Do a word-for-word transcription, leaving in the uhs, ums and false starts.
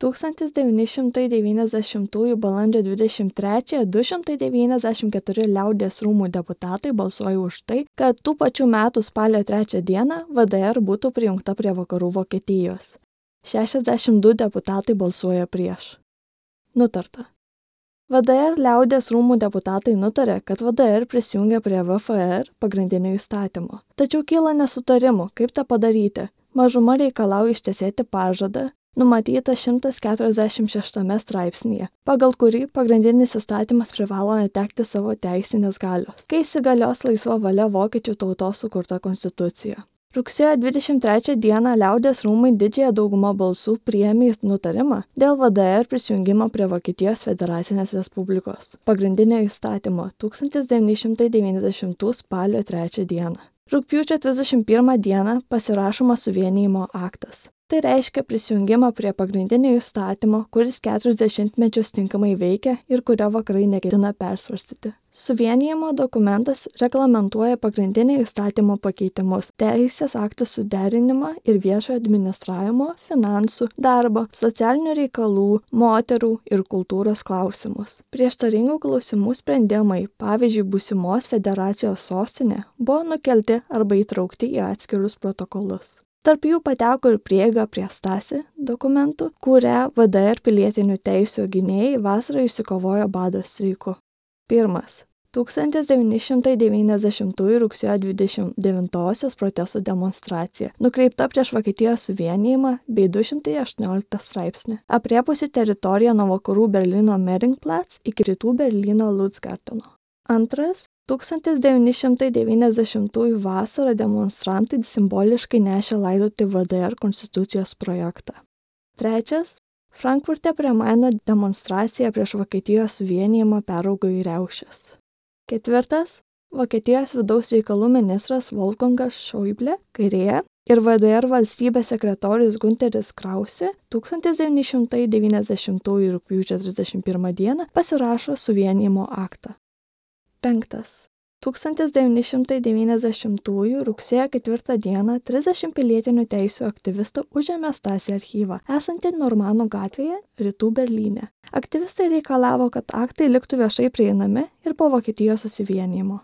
tūkstantis devyni šimtai devyniasdešimtųjų balandžio dvidešimt trečiąją du šimtai devyniasdešimt keturi liaudies rūmų deputatai balsuoja už tai, kad tų pačių metų spalio trečią dieną V D R būtų prijungta prie vakarų Vokietijos. šešiasdešimt du deputatai balsuoja prieš. Nutarta. V D R liaudies rūmų deputatai nutarė, kad V D R prisijungia prie V F R pagrindinio įstatymo. Tačiau kyla nesutarimų, kaip tą padaryti. Mažuma reikalauja ištesėti pažadą, numatyta šimtas keturiasdešimt šeštame straipsnyje, pagal kurį pagrindinis įstatymas privalo netekti savo teisinės galios, kai įsigalios laisva valia vokiečių tautos sukurta konstitucija. Rugsėjo dvidešimt trečią dieną liaudies rūmai didžiąją daugumą balsų priėmė nutarimą dėl V D R prisijungimo prie Vokietijos federacinės respublikos pagrindinio įstatymo tūkstantis devyni šimtai devyniasdešimtų spalio trečią dieną. Rugpjūčio trisdešimt pirmą dieną pasirašomas suvienijimo aktas. Tai reiškia prisijungimą prie pagrindinio įstatymo, kuris keturis dešimtmečius tinkamai veikia ir kurio vakarai neketina persvarstyti. Suvienijimo dokumentas reglamentuoja pagrindinio įstatymo pakeitimus, teisės aktų suderinimą ir viešo administravimo, finansų, darbo, socialinių reikalų, moterų ir kultūros klausimus. Prieštaringų klausimų sprendimai, pavyzdžiui, būsimos federacijos sostinė, buvo nukelti arba įtraukti į atskirus protokolus. Tarp jų pateko ir prieiga prie Stasi dokumentų, kurią V D R pilietinių teisių gynėjai vasarą išsikovojo bado streiku. Pirmas. tūkstantis devyni šimtai devyniasdešimtųjų rugsėjo dvidešimt devintosios protestų demonstracija, nukreipta prieš Vokietijos suvienijimą bei du šimtai aštuonioliktą straipsnį, aprėpusi teritoriją nuo vakarų Berlyno Meringplatz iki rytų Berlyno Lutzgarteno. Antras. tūkstantis devyni šimtai devyniasdešimtųjų vasarą demonstrantai simboliškai nešė laidoti V D R konstitucijos projektą. Trečias. Frankfurte prie Maino demonstracija prieš Vokietijos suvienijimą peraugo į riaušes. Ketvirtas. Vokietijos vidaus reikalų ministras Wolfgangas Schäuble, kairėje, ir V D R valstybės sekretorius Günteris Krause tūkstantis devyni šimtai devyniasdešimtųjų rugpjūčio trisdešimt pirmą dieną pasirašo suvienijimo aktą. Penktas. tūkstantis devyni šimtai devyniasdešimtųjų rugsėjo ketvirtą dieną trisdešimt pilietinių teisių aktyvistų užėmė Stasi archyvą, esantį Normanų gatvėje, rytų Berlyne. Aktyvistai reikalavo, kad aktai liktų viešai prieinami ir po Vokietijos susivienijimo.